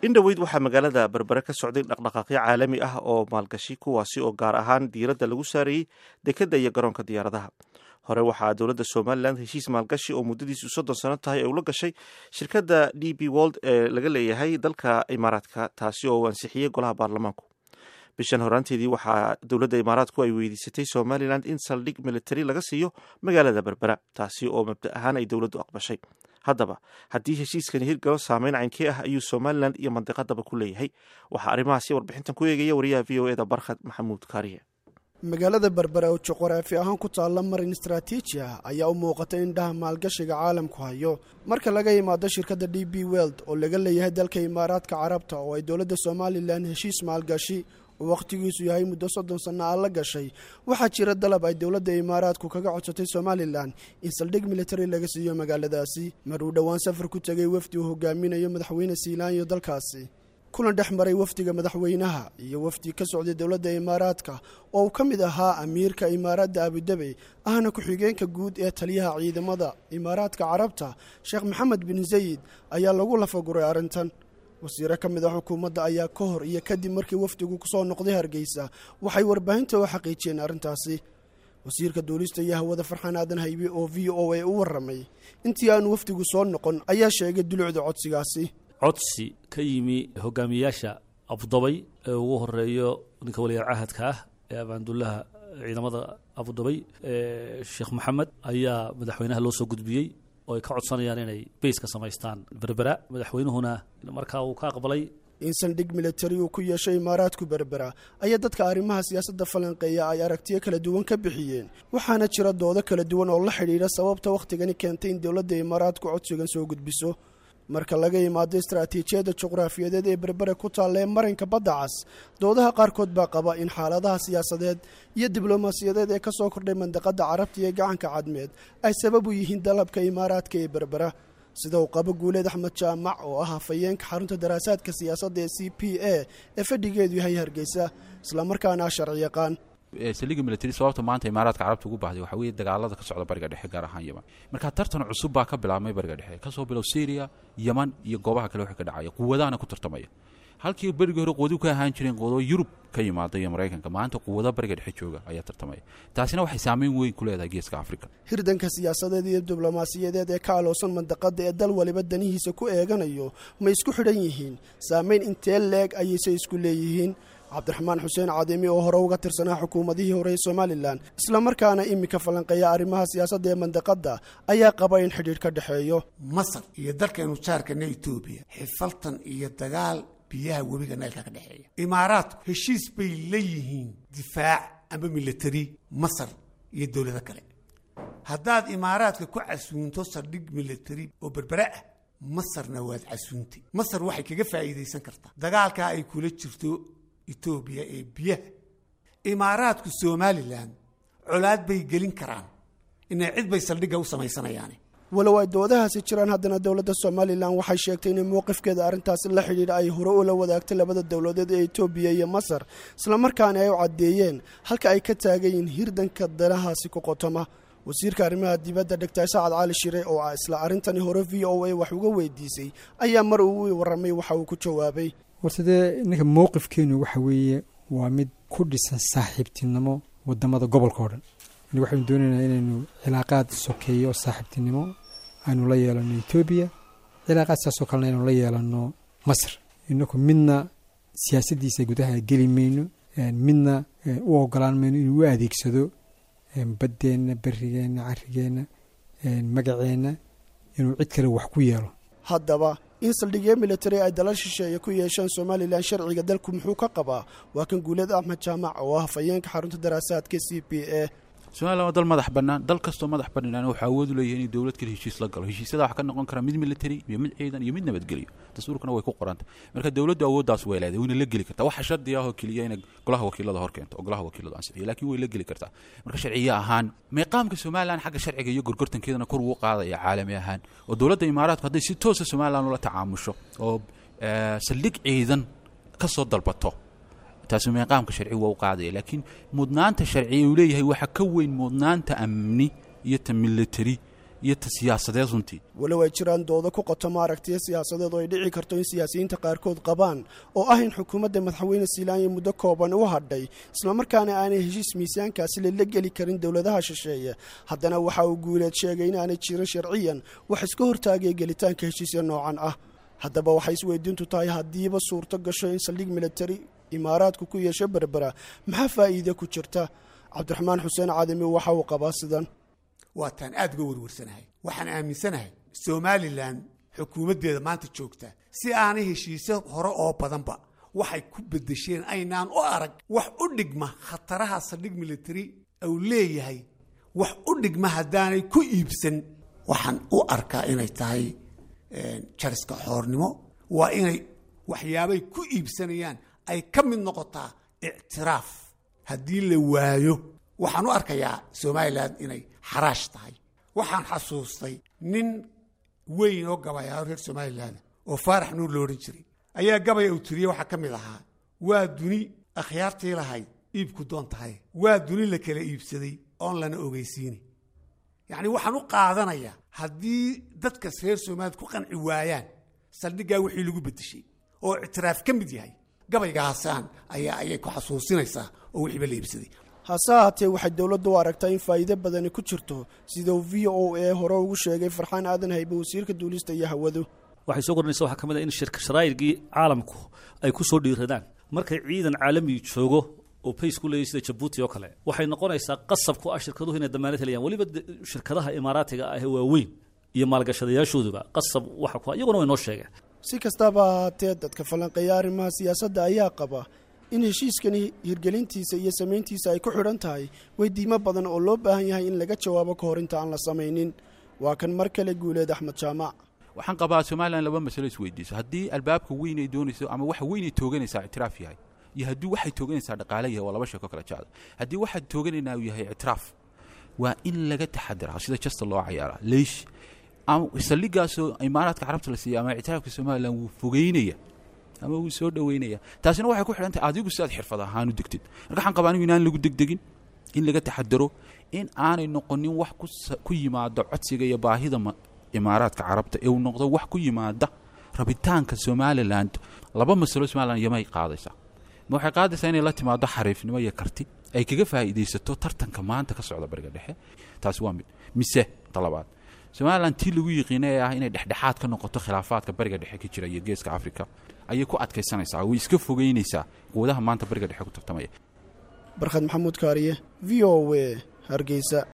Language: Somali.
In dhoweyd waxaa magaalada Berbere ka socday dhaqdhaqaaqyo caalami ah oo maalgashi, kuwaasi oo gaar ahaan diiradda lagu saarayey dekadda iyo garoonka diyaaradaha. Hore waxaa dowladda Somalilan heshiis maalgashi oo muddadiisu 30 sano tahay ay ula gashay shirkadda DP World ee laga leeyahay dalka Imaaraadka, taasi oo uu ansixiyey golaha baarlamaanku. Bishan horaanteedii waxaa dowladda Imaaraadku ay weydiisatay Somalilan in saldhig military laga siiyo magaalada Berbera, taasi oo mabda ahaan ay dowladdu aqbashay. Haddaba, haddii heshiiskani hirgalo, saameyn caynkee ah ayuu Somalilan iyo mandiqadaba ku leeyahay? Waxaa arrimahaasi warbixintan ku eegaya wariyaha VOA-da, Barkhad Maxamuud Kaariye. Magaalada Berbera oo juqraafi ahaan ku taalla marin istaraatiiji ah ayaa u muuqata indhaha maalgashiga caalamku hayo. Marka laga yimaado shirkadda DP World oo laga leeyahay dalka Imaaraadka Carabta, oo ay dowladda Somalilan heshiis maalgashi oo wakhtigiisu yahay muddo 30 sanno ah la gashay, waxaa jira dalab ay dowladda Imaaraadku kaga codsatay Somalilan in saldhig military laga siiyo magaaladaasi. Mar uu dhowaan safar ku tegay wafdi uu hogaaminayo Madaxweyne Siilaanyo dalkaasi, kulan dhex maray wafdiga madaxweynaha iyo wafdi ka socday dowladda Imaaraadka oo uu ka mid ahaa amiirka Imaaraadda Abudabi, ahna ku-xigeenka guud ee taliyaha ciidamada Imaaraadka Carabta, Sheekh Maxamed bin Zayid, ayaa lagu lafaguray arrintan. Wasiiro ka mid ah xukuumadda ayaa ka hor iyo kadib markii wafdigu kusoo noqday Hargeysa waxay warbaahinta u xaqiijiyeen arrintaasi. Wasiirka duulista iyo hawada, Farxaan Aadan Haybe, oo VOA u warramay intii aanu wafdigu soo noqon, ayaa sheegay dulucda codsigaasi. Codsi ka yimi hogaamiyayaasha Abudabay ee ugu horeeyo ninka waliyaal cahadka ah ee abaandullaha ciidamada Abudabay, Sheekh Maxamed, ayaa madaxweynaha loo soo gudbiyey oo ay ka codsanayaan inay base ka samaystaan Berbera. Madaxweynuhuna markaa uu ka aqbalay. In saldhig militari uu ku yeeshay Imaaraadku Berbera ayaa dadka arrimaha siyaasadda falanqeeya ay aragtiyo kala duwan ka bixiyeen, waxaana jira doodo kala duwan oo la xidhiidha sababta wakhtigani keentay in dowladda Imaaraadku codsigan soo gudbiso. Marka laga yimaado istaraatiijiyadda juqraafiyadeed ee Berbere ku taalla ee marinka Badda Cas, doodaha qaarkood baa qaba in xaaladaha siyaasadeed iyo diblomaasiyadeed ee ka soo kordhay mandaqadda Carabta iyo Gacanka Cadmeed ay sabab u yihiin dalabka Imaaraadka ee Berbera, sida uu qabo Guuleed Axmed Jaamac, oo ah hafayeenka xarunta daraasaadka siyaasadda ee CPA ee fadhigeedu yahay Hargeysa, islamarkaana ah sharci yaqaan. Saldhigga military sababta maanta Imaaraadka Carabta ugu baahday waxaa weeye dagaalada ka socda Bariga Dhexe, gaar ahaan Yeman. Marka tartan cusub baa ka bilaabmay Bariga Dhexe, kasoo bilow Syria, Yeman iyo goobaha kale waxa ka dhacaya. Quwadahana ku tartamaya. Halkii berigii hore quwadu ka ahaan jireen quwado Yurub ka yimaada iyo Maraykanka, maanta quwado Bariga Dhexe jooga ayaa tartamaya. Taasina waxay saameyn weyn ku leedahay Geeska Afrika. Hirdanka siyaasadeed iyo diblomaasiyadeed ee ka aloosan mandaqadda ee dal waliba danihiisa ku eeganayo ma isku xidhan yihiin? Saameyn intee leeg ayayse isku leeyihiin? Cabdiraxmaan Xuseen Cadimi, oo hore uga tirsanaa xukuumadihii hore ee Somalilan, islamarkaana iminka falanqeeya arrimaha siyaasadda ee mandaqadda, ayaa qaba in xidhiidh ka dhexeeyo. Masar iyo dalkaynu jaarkana Etoobiya xifaltan iyo dagaal biyaha webiga Naylka ka dhexeeya. Imaaraadku heshiis bay la yihiin difaac ama military Masar iyo dowlado kale. Haddaad Imaaraadka ku casuunto saldhig military oo Berbere ah, Masarna waad casuuntay. Masar waxay kaga faa'iidaysan kartaa dagaalkaa ay kula jirto Etoobiya ee biyaha. Imaaraadku Somalilan colaad bay gelin karaan, inay cid bay saldhigga u samaysanayaane. Walow ay doodahaasi jiraan, haddana dowladda Somalilan waxay sheegtay inay mowqifkeeda arrintaasi la xidhiidha ay hore ula wadaagtay labada dowladeed ee Etoobiya iyo Masar, islamarkaana ay u caddeeyeen halka ay ka taagan yihiin hirdanka danahaasi ku qotoma. Wasiirka arrimaha dibadda, Doctor Sacad Cali Shire, oo ah isla arrintani hore VOA wax uga weydiisay, ayaa mar uu warramay waxa uu ku jawaabay: Horta dee ninka mowqifkeenu waxa weeye waa mid ku dhisan saaxiibtinimo wadamada gobolka oo dhan. Waxaynu doonaynaa inaynu cilaaqaad sokeeyo saaxiibtinimo aynu la yeelano Etoobiya, cilaaqaad saasoo kalena aynu la yeelano Masar. Inaku midna siyaasaddiisa gudaha geli mayno, midna u ogolaan mayno inuu u adeegsado baddeenna, berigeenna, carrigeenna, magaceenna inuu cid kale wax ku yeelo. Haddaba, in saldhigyo military ay dalal shisheeye ku yeeshaan Somalilan, sharciga dalku muxuu ka qabaa? Waa kan Guuleed Axmed Jaamac, oo ah hafayeenka xarunta daraasaadka CPA. Somalilan waa dal madax bannaan. Dal kastoo madax bannaan wuxuu awood u leeyahay inuu dowlad kale heshiis la galo. Heshiisyada waxaa ka noqon kara mid military iyo mid ciidan iyo mid nabadgelyo. Dastuurkana way ku qoranta. Marka dowladdu awooddaas way leedahay, wayna la geli kartaa. Waxa shardi ah oo keliya inay golaha wakiilada hor keento oo golaha wakiiladu ansixiyo, laakiin way la geli kartaa. Marka sharciye ahaan meeqaamka Somalilan xagga sharciga iyo gorgortankeedana kor ugu qaadaya caalami ahaan, oo dowladda Imaaraadku hadday si toosa Somalilan ula tacaamusho oo saldhig ciidan ka soo dalbato, taasi meeqaamka sharci waa u qaadaya. Laakiin mudnaanta sharciya uu leeyahay waxaa ka weyn mudnaanta amni iyo ta military. Iyo ta siyaasadeed runtii. Walow ay jiraan doodo ku qotoma aragtiyo siyaasadeed oo ay dhici karto in siyaasiyiinta qaarkood qabaan, oo ah in xukuumadda Madaxweyne Siilaanya muddo kooban u hadhay, islamarkaana aanay heshiis miisaankaasi lala geli karin dowladaha shisheeye, haddana waxa uu Guuleed sheegay in aanay jirin sharciyan wax iska hortaagaya gelitaanka heshiisya noocan ah. Haddaba waxay isweydiintu tahay, haddiiba suurto gasho in saldhig militari Imaaraadku ku yeesho Berbera, maxaa faa'iide ku jirta? Cabdiraxmaan Xuseen Cadami waxa uu qabaa sidan. Waataan aada uga werwarsanahay. Waxaan aaminsanahay Somalilan xukuumaddeeda maanta joogta si aanay heshiisyo hore oo badanba waxay ku bedesheen aynaan u arag wax u dhigma khataraha saldhig military uu leeyahay, wax u dhigma haddaanay ku iibsan. Waxaan u arkaa inay tahay jariska xoornimo. Waa inay waxyaabay ku iibsanayaan ay ka mid noqotaa ictiraaf. Haddii la waayo, waxaan u arkayaa Somalilan inay xaraash tahay. Waxaan xasuustay nin weyn oo gabayaa reer Somalilan oo Faarax Nuur lo odhan jiray ayaa gabaya uu tiriyey waxaa ka mid ahaa: "Waa duni akhyaartii lahayd iibku doon tahay, waa duni la kala iibsaday oon lana ogeysiini." Yacni waxaan u qaadanayaa haddii dadkas reer Somaliland ku qanci waayaan saldhiggaa wixii lagu bedeshay oo ictiraaf ka mid yahay, gabaygaasaan ayaa ayay ku xasuusinaysaa oo wixiiba la iibsaday. Hase ahaatee, waxay dowladdu u aragtaa in faa'iido badani ku jirto, sida uu VOA hore ugu sheegay Farxaan Aadan Haybe, wasiirka duulista iyo hawadu. Waxay soo kordhinaysa waxaa ka mid ah in shirka sharaa'irkii caalamku ay ku soo dhiiradaan. Markay ciidan caalami joogo oo base ku leeyahy sida Jabuuti oo kale, waxay noqonaysaa qasab ku ah shirkaduhu inay damaanad helayaan, weliba shirkadaha Imaaraatiga ah ee waaweyn iyo maalgashadayaashooduba qasab waxa ku iyaguna way noo sheegeen. Si kastaba ahaatee, dadka falanqeeya arrimaha siyaasadda ayaa qaba in heshiiskani hirgelintiisa iyo samayntiisa ay ku xidhan tahay weydiimo badan oo loo baahan yahay in laga jawaabo ka hor inta aan la samaynin. Waa kan mar kale Guuleed Axmed Jaamac. Waxaan qabaa Somalilan laba masalo isweydiiso: haddii albaabka weyn ay doonayso ama waxa weyn ay tooganaysaa ictiraaf yahay, iyo haddii waxay tooganaysaa dhaqaale yahay, waa laba sheeko kala jecda. Haddii waxaad tooganaynaa uu yahay ictiraaf, waa in laga taxadiraa sida jasta loo cayaaraa. Leish ama saldhigaasoo Imaaraadka Carabta la siiyey ama ictiraafka Somalilan wuu fogeynaya ama wuu soo dhoweynaya, taasina waxay ku xidhan tahay adigu si aad xirfad ahaan u degtid. Marka waxaan qabaa anigu inaan lagu degdegin, in laga taxadaro, in aanay noqonin wax ku yimaada codsiga iyo baahida Imaaraadka Carabta, ee uu noqdo wax ku yimaada rabitaanka Somaliland. Laba masalo Somaliland yamay qaadaysaa: ma waxay qaadaysaa inay la timaado xariifnimo iyo karti ay kaga faa'iidaysato tartanka maanta ka socda Bariga Dhexe? Taasi waa mid. Mise talabaad, Somaliland tii lagu yiqiina ee ah inay dhexdhexaad ka noqoto khilaafaadka Bariga Dhexe ka jira iyo Geeska Africa ayay ku adkaysanaysaa, way iska fogeynaysaa quwadaha maanta Bariga Dhexe ku tartamaya? Barkhad Maxamuud Kaariye, VOA, Hargeysa.